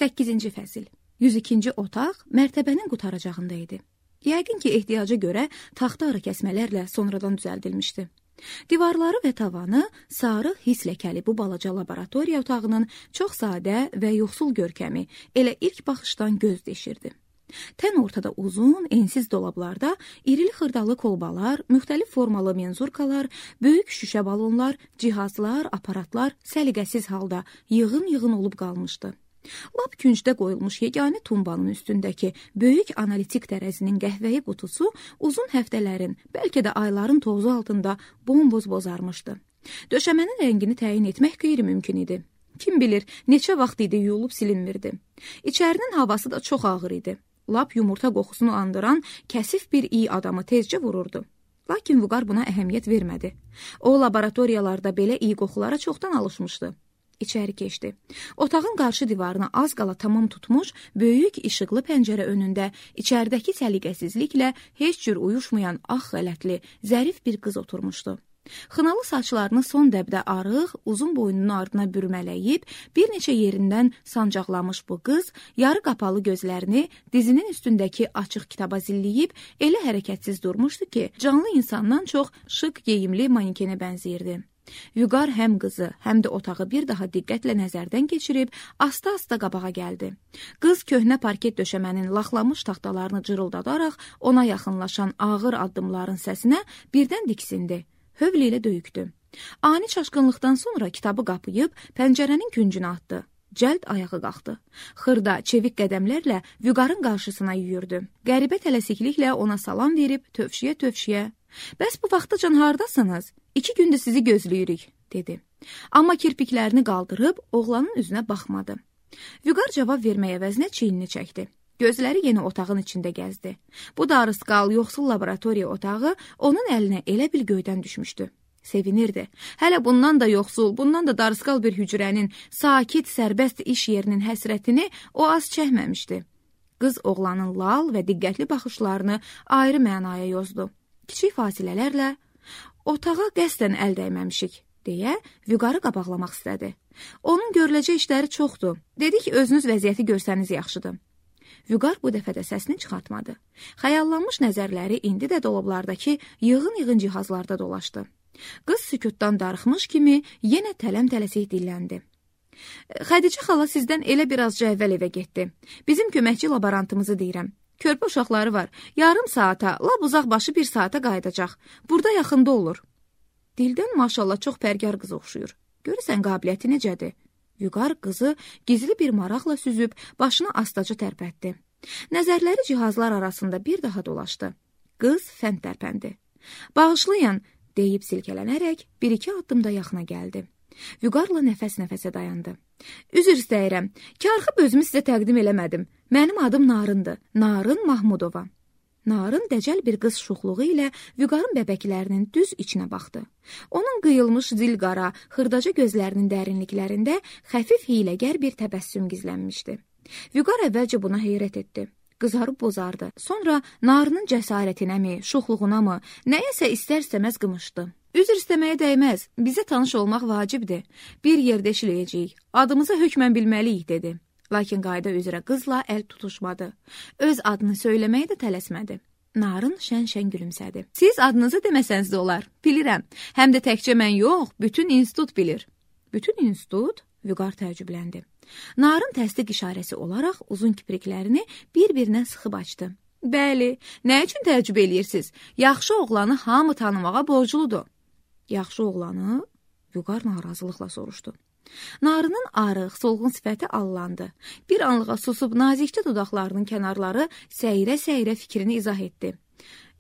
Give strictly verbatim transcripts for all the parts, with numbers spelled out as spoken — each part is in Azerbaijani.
səkkizinci fəsil. yüz ikinci otaq mərtəbənin qutaracağında idi. Yəqin ki, ehtiyaca görə taxta arı kəsmələrlə sonradan düzəldilmişdi. Divarları və tavanı sarı his ləkəli bu balaca laboratoriya otağının çox sadə və yoxsul görkəmi elə ilk baxışdan göz deşirdi. Tən ortada uzun, ensiz dolablarda irili xırdalı kolbalar, müxtəlif formalı menzurkalar, böyük şüşə balonlar, cihazlar, aparatlar səliqəsiz halda yığın-yığın olub qalmışdı. Lap küncdə qoyulmuş yeganə tumbanın üstündəki böyük analitik tərəzinin qəhvəyi qutusu uzun həftələrin, bəlkə də ayların tozu altında bomboz bozarmışdı. Döşəmənin rəngini təyin etmək qeyri-mümkün idi. Kim bilir, neçə vaxt idi yuyulub silinmirdi. İçərinin havası da çox ağır idi. Lap yumurta qoxusunu andıran kəsif bir iyi adamı tezcə vururdu. Lakin Vüqar buna əhəmiyyət vermədi. O, laboratoriyalarda belə iyi qoxulara çoxdan alışmışdı. İçəri keçdi. Otağın qarşı divarına az qala tamam tutmuş, böyük işıqlı pəncərə önündə içəridəki səliqəsizliklə heç cür uyuşmayan ağ xələtli, zərif bir qız oturmuşdu. Xınalı saçlarını son dəbdə arıq, uzun boynunun ardına bürmələyib, bir neçə yerindən sancaqlamış bu qız, yarı qapalı gözlərini dizinin üstündəki açıq kitaba zilləyib, elə hərəkətsiz durmuşdu ki, canlı insandan çox şıq geyimli manikenə bənzəyirdi. Vüqar həm qızı, həm də otağı bir daha diqqətlə nəzərdən keçirib, asta-asta qabağa gəldi. Qız köhnə parket döşəmənin laxlamış taxtalarını cırıldadaraq ona yaxınlaşan ağır addımların səsinə birdən diksindi. Hövl ilə döyükdü. Ani çaşqınlıqdan sonra kitabı qapıyıb pəncərənin küncünə atdı. Cəld ayağı qalxdı. Xırda, çevik qədəmlərlə Vüqarın qarşısına yüyürdü. Qəribə tələsikliklə ona salam verib tövşiyə-tövşiyə "Bəs bu vaxtacan hardasınız? İki gündür sizi gözləyirik," dedi. Amma kirpiklərini qaldırıb oğlanın üzünə baxmadı. Vüqar cavab vermək əvəzinə çiynini çəkdi. Gözləri yenə otağın içində gəzdi. Bu darısqal, yoxsul laboratoriya otağı onun əlinə elə bil göydən düşmüşdü. Sevinirdi. Hələ bundan da yoxsul, bundan da darısqal bir hücrənin, sakit, sərbəst iş yerinin həsrətini o az çəkməmişdi. Qız oğlanın lal və diqqətli baxışlarını ayrı mənaya yozdu. Kiçik fasilələrlə "Otağa qəsdən əl dəyməmişik," deyə Vüqarı qabaqlamaq istədi. "Onun görüləcək işləri çoxdur. Dedi ki, özünüz vəziyyəti görsəniz yaxşıdır." Vüqar bu dəfə də səsini çıxartmadı. Xəyallanmış nəzərləri indi də dolablardakı yığın-yığın cihazlarda dolaşdı. Qız sükutdan darıxmış kimi yenə tələm-tələsik dilləndi. "Xədicə xala sizdən elə bir azca əvvəl evə getdi. Bizim köməkçi laborantımızı deyirəm. Körpə uşaqları var. Yarım saata, lap uzaq başı bir saata qayıdacaq. Burada yaxında olur." Dildən maşallah çox pərgar qız oxşuyur. Görürsən qabiliyyəti necədir? Vüqar qızı gizli bir maraqla süzüb başını astaca tərpətdi. Nəzərləri cihazlar arasında bir daha dolaşdı. Qız fənd tərpəndi. "Bağışlayın," deyib silkələnərək bir-iki addımda yaxına gəldi. Vüqarla nəfəs-nəfəsə dayandı. "Üzr istəyirəm. Karxıb özümü sizə təqdim eləmədim. Mənim adım Narındır. Narın Mahmudova." Narın dəcəl bir qız şuxluğu ilə Vüqarın bəbəklərinin düz içinə baxdı. Onun qıyılmış zilqara, xırdaca gözlərinin dərinliklərində xəfif hiyləgər bir təbəssüm gizlənmişdi. Vüqar əvvəlcə buna heyrət etdi. Qızarıb bozardı. Sonra Narının cəsarətinəmi, şuxluğunamı, nəyəsə istər-istəməz qımışdı. "Üzr istəməyə dəyməz. Bizə tanış olmaq vacibdir. Bir yerdə işləyəcəyik. Adımızı hökmən bilməliyik," dedi. Lakin qayda üzrə qızla əl tutuşmadı. Öz adını söyləməyə də tələsmədi. Narın şən-şən gülümsədi. "Siz adınızı deməsəniz də olar. Bilirəm. Həm də təkcə mən yox, bütün institut bilir." "Bütün institut?" Vüqar təəccübləndi. Narın təsdiq işarəsi olaraq uzun kipriklərini bir-birinə sıxıb açdı. "Bəli, nə üçün təəccüb eləyirsiniz? Yaxşı oğlanı hamı tanımağa borcludur." "Yaxşı oğlanı?" Vüqar narazılıqla soruşdu. Narının arıq, solğun sifəti allandı. Bir anlığa susub nazikcə dodaqlarının kənarları səyrə-səyrə fikrini izah etdi.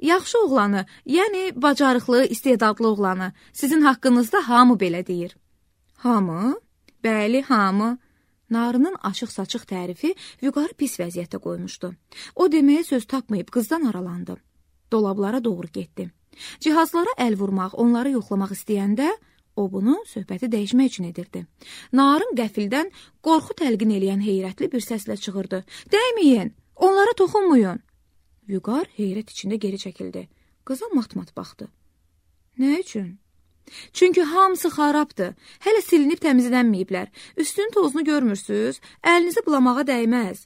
"Yaxşı oğlanı, yəni bacarıqlı, istedadlı oğlanı. Sizin haqqınızda hamı belə deyir." "Hamı?" "Bəli, hamı." Narının açıq-saçıq tərifi Vüqarı pis vəziyyətdə qoymuşdu. O deməyə söz tapmayıb qızdan aralandı. Dolablara doğru getdi. Cihazlara əl vurmaq, onları yoxlamaq istəyəndə o bunu söhbəti dəyişmək üçün edirdi. Narın qəfildən qorxu təlqin eləyən heyrətli bir səslə çığırdı. "Dəyməyin, onlara toxunmayın." Vüqar heyrət içində geri çəkildi. Qıza mat-mat baxdı. "Nə üçün?" Çünki hamısı xarabdır. Hələ silinib təmizlənməyiblər. Üstünün tozunu görmürsünüz? Əlinizi bulamağa dəyməz.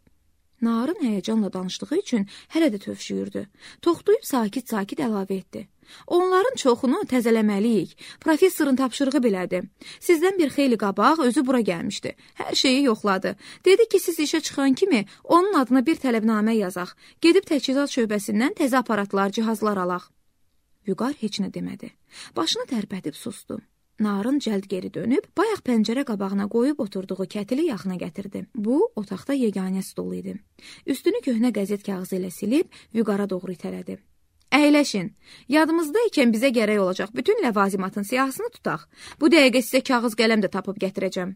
Narın həyəcanla danışdığı üçün hələ də tövşüyürdü. Toxtuyub sakit-sakit əlavə etdi. Onların çoxunu təzələməliyik. Professorun tapşırığı belədir. Sizdən bir xeyli qabaq özü bura gəlmişdi. Hər şeyi yoxladı. Dedi ki, siz işə çıxan kimi onun adına bir tələbnamə yazaq. Gedib təchizat şöbəsindən təzə aparatlar, cihazlar alaq. Vüqar heç nə demədi. Başını tərpədib sustu. Narın cəld geri dönüb, bayaq pəncərə qabağına qoyub oturduğu kətili yaxına gətirdi. Bu, otaqda yeganə stol idi. Üstünü köhnə qəzet kağızı ilə silib, Vüqara doğru itələdi. Əyləşin. Yadımızda ikən bizə gərək olacaq bütün ləvazimatın siyahısını tutaq. Bu dəqiqə sizə kağız qələm də tapıb gətirəcəm.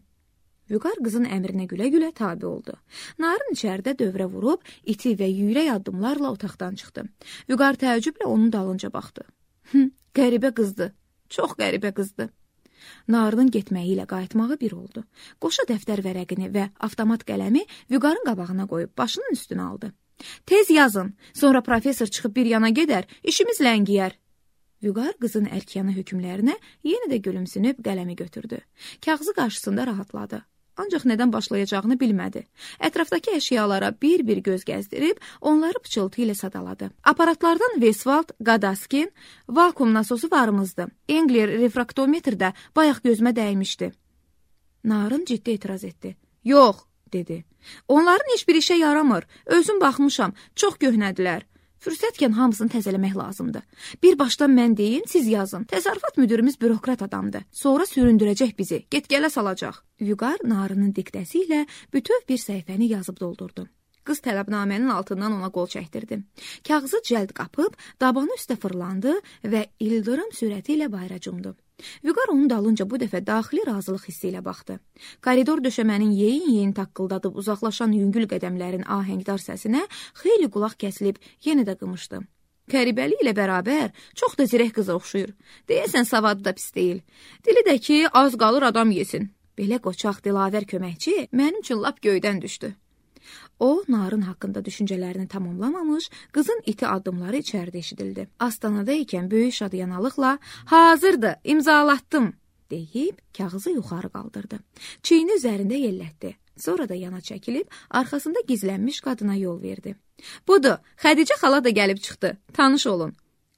Vüqar qızın əmrinə gülə-gülə tabi oldu. Narın içəridə dövrə vurub, iti və yüyrək addımlarla otaqdan çıxdı. Vüqar təəccüblə onun dalınca baxdı. Hı, qəribə qızdı. Çox qəribə qızdı. Narının getməyi ilə qayıtmağı bir oldu. Qoşa dəftər vərəqini və avtomat qələmi Vüqarın qabağına qoyub başının üstünə aldı. Tez yazın, sonra professor çıxıb bir yana gedər, işimiz ləngiyər. Vüqar qızın ərkyanı hökmlərinə yenə də gülümsünüb qələmi götürdü. Kağızı qarşısında rahatladı. Ancaq nədən başlayacağını bilmədi. Ətrafdakı əşyalara bir-bir göz gəzdirib, onları pıçıltı ilə sadaladı. Aparatlardan Westwald, Gadaskin, vakuum nasosu varımızdı. Engler refraktometrdə bayaq gözümə dəymişdi. Narın ciddi etiraz etdi. Yox, dedi. Onların heç bir işə yaramır. Özüm baxmışam, çox köhnədilər. Fürsətkən hamısını təzələmək lazımdır. Bir başdan mən deyim, siz yazın. Təsərrüfat müdürümüz bürokrat adamdır. Sonra süründürəcək bizi, get-gələ salacaq. Vüqar narının diktəsi ilə bütöv bir səhifəni yazıb doldurdu. Qız tələbnamənin altından ona qol çəkdirdi. Kağızı cəld qapıb, dabanı üstə fırlandı və ildırım sürəti ilə bayra cumdu. Vüqar onun dalınca bu dəfə daxili razılıq hissi ilə baxdı. Koridor döşəmənin yeyin-yeyin taqqıldadıb uzaqlaşan yüngül qədəmlərin ahəngdar səsinə xeyli qulaq kəsilib yenə də qımışdı. Qəribəli ilə bərabər çox da zirək qıza oxşuyur. Deyəsən savadı da pis deyil. Dili də ki, az qalır adam yesin. Belə qoçaq dilavər köməkçi mənim üçün lap göydən düşdü. O, narın haqqında düşüncələrini tamamlamamış, qızın iti addımları içəridə eşidildi. Astanada ikən böyük şadiyanalıqla, hazırdır, imzalatdım, deyib kağızı yuxarı qaldırdı. Çiyini üzərində yellətdi. Sonra da yana çəkilib, arxasında gizlənmiş qadına yol verdi. Budur, Xədicə xala da gəlib çıxdı, tanış olun.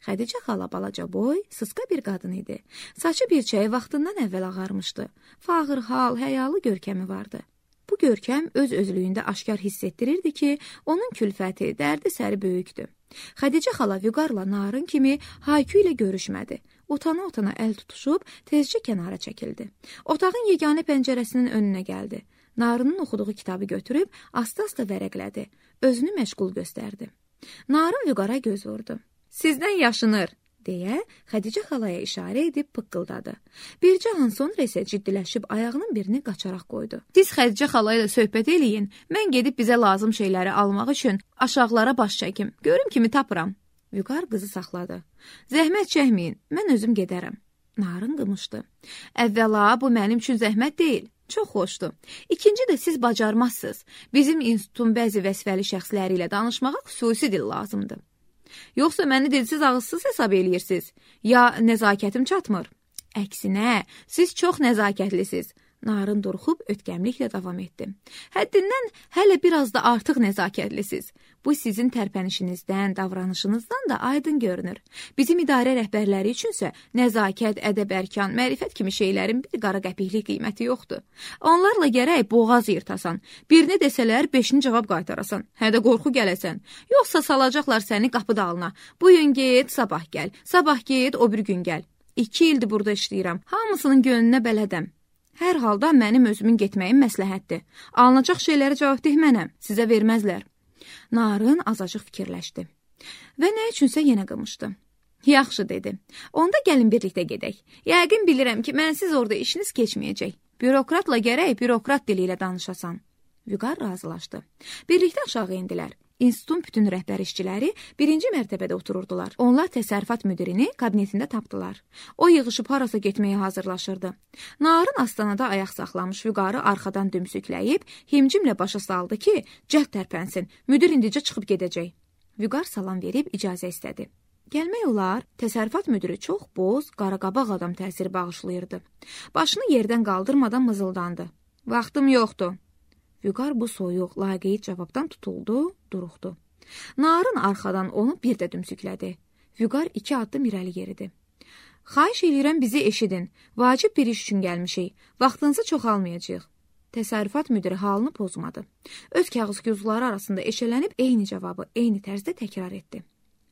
Xədicə xala balaca boy, sısqa bir qadın idi. Saçı bir çəyi vaxtından əvvəl ağarmışdı. Fağır hal, həyalı görkəmi vardı. Bu görkəm öz-özlüyündə aşkar hiss etdirirdi ki, onun külfəti, dərdi səri böyükdür. Xədicə xala Vüqarla narın kimi Haykü ilə görüşmədi. Utana-utana əl tutuşub, tezcə kənara çəkildi. Otağın yeganə pəncərəsinin önünə gəldi. Narının oxuduğu kitabı götürüb, asta-asta vərəqlədi. Özünü məşğul göstərdi. Narın Vüqara göz vurdu. Sizdən yaşınır, deyə Xədicə xalaya işarə edib pıqqıldadı. Bircə an sonra isə ciddiləşib ayağının birini qaçaraq qoydu. Siz Xədicə xalaya da söhbət eləyin, mən gedib bizə lazım şeyləri almaq üçün aşağılara baş çəkim, görüm kimi tapıram. Vüqar qızı saxladı. Zəhmət çəkməyin, mən özüm gedərəm. Narın qımışdı. Əvvəla, bu mənim üçün zəhmət deyil. Çox xoşdur. İkinci də siz bacarmazsınız. Bizim institutun bəzi vəzifəli şəxsləri ilə danışmağa xüsusi dil lazımdır. Yoxsa məni dilsiz ağızsız hesab eləyirsiniz, ya nəzakətim çatmır? Əksinə, siz çox nəzakətlisiniz. Narın duruxub ötkəmliklə davam etdi. Həddindən hələ biraz da artıq nəzakətlisiniz. Bu sizin tərpənişinizdən, davranışınızdan da aydın görünür. Bizim idarə rəhbərləri üçünsə nəzakət, ədəb-ərkan, mərifət kimi şeylərin bir qara qəpiklik qiyməti yoxdur. Onlarla gərək boğaz yırtasan. Birini desələr, beşini cavab qaytarasan. Hə də qorxu gələsən. Yoxsa salacaqlar səni qapı dalına. Bu gün get, sabah gəl. Sabah get, o bir gün gəl. İki ildir burada işləyirəm. Hamısının gönlünə bələdəm. Hər halda mənim özümün getməyim məsləhətdir. Alınacaq şeyləri cavabdeh mənəm, sizə verməzlər. Narın azacıq fikirləşdi. Və nə üçünsə yenə qımışdı. Yaxşı, dedi. Onda gəlin birlikdə gedək. Yəqin bilirəm ki, mənsiz orada işiniz keçməyəcək. Bürokratla gərək bürokrat dili ilə danışasan. Vüqar razılaşdı. Birlikdə aşağı indilər. İnstitutun bütün rəhbər işçiləri birinci mərtəbədə otururdular. Onlar təsərrüfat müdirini kabinetində tapdılar. O yığışıb harasa getməyə hazırlaşırdı. Narın astanada ayaq saxlamış Vüqarı arxadan dümsükləyib, himcimlə başa saldı ki, cəhd tərpənsin, müdir indicə çıxıb gedəcək. Vüqar salam verib icazə istədi. Gəlmək olar, təsərrüfat müdiri çox boz, qaraqabaq adam təsiri bağışlayırdı. Başını yerdən qaldırmadan mızıldandı. Vaxtım yoxdur. Vüqar bu soyuq, laqeyd cavabdan tutuldu, duruxdu. Narın arxadan onu bir də dümsüklədi. Vüqar iki addım irəli yeridi. Xahiş eləyirəm bizi eşidin. Vacib bir iş üçün gəlmişik. Vaxtınızı çox almayacağıq. Təsərrüfat müdiri halını pozmadı. Öz kağız gözləri arasında eşələnib eyni cavabı eyni tərzdə təkrar etdi.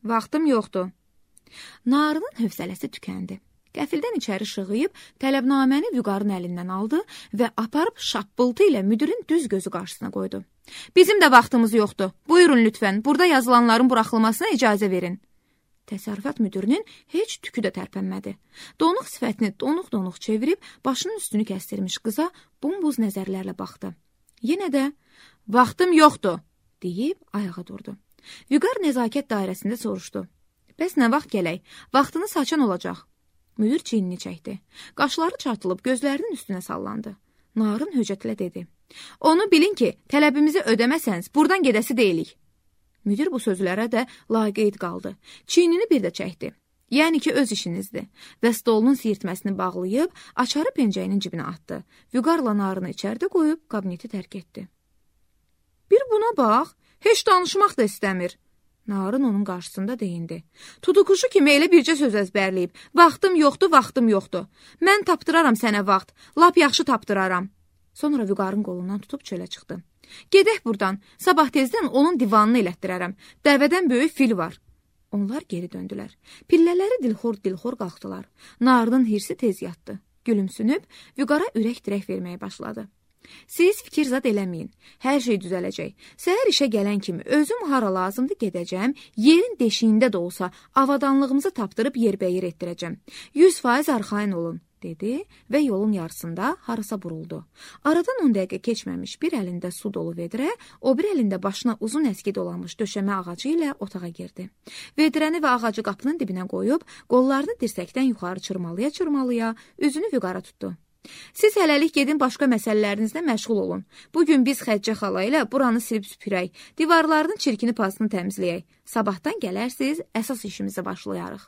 Vaxtım yoxdur. Narının hövsələsi tükəndi. Qəfildən içəri şığıyıb, tələbnaməni Vüqarın əlindən aldı və aparıb şappıltı ilə müdirin düz gözü qarşısına qoydu. Bizim də vaxtımız yoxdur. Buyurun lütfən, burada yazılanların buraxılmasına icazə verin. Təsərrüfat müdirinin heç tükü də tərpənmədi. Donuq sifətini donuq-donuq çevirib, başının üstünü kəstirmiş qıza bombuz nəzərlərlə baxdı. Yenə də, vaxtım yoxdur, deyib ayağa durdu. Vüqar nəzakət dairəsində soruşdu. Bəs nə vaxt gələk? Vaxtını saçan olacaq. Müdir çiynini çəkdi. Qaşları çatılıb gözlərinin üstünə sallandı. Narın höcətlə dedi. Onu bilin ki, tələbimizi ödəməsəniz, buradan gedəsi deyilik. Müdir bu sözlərə də laqeyd qaldı. Çiynini bir də çəkdi. Yəni ki, öz işinizdir. Və stolunun siyirtməsini bağlayıb, açarı pencəyinin cibinə atdı. Vüqarla narını içəridə qoyub, kabineti tərk etdi. Bir buna bax, heç danışmaq da istəmir. Narın onun qarşısında deyindi. Tutuquşu kimi elə bircə söz əzbərləyib. Vaxtım yoxdur, vaxtım yoxdur. Mən tapdıraram sənə vaxt. Lap yaxşı tapdıraram. Sonra Vüqarın qolundan tutub çölə çıxdı. Gedək buradan. Sabah tezdən onun divanını elətdirərəm. Dəvədən böyük fil var. Onlar geri döndülər. Pillələri dilxor-dilxor qalxdılar. Narının hirsi tez yatdı. Gülümsünüb, Vüqara ürək-dirək verməyə başladı. Siz fikir zad eləməyin. Hər şey düzələcək. Səhər işə gələn kimi özüm hara lazımdır gedəcəm, yerin deşiyində də olsa avadanlığımızı tapdırıb yerbəyir etdirəcəm. yüz faiz arxayın olun, dedi və yolun yarısında harasa buruldu. Aradan on dəqiqə keçməmiş bir əlində su dolu vedrə, o bir əlində başına uzun əski dolanmış döşəmə ağacı ilə otağa girdi. Vedrəni və ağacı qapının dibinə qoyub, qollarını dirsəkdən yuxarı çırmalaya-çırmalaya, üzünü Vüqara tutdu. Siz hələlik gedin başqa məsələlərinizlə məşğul olun. Bugün biz Xəccə xala ilə buranı silib süpürək, divarlarının çirkini pasını təmizləyək. Sabahdan gələrsiz, əsas işimizə başlayarıq.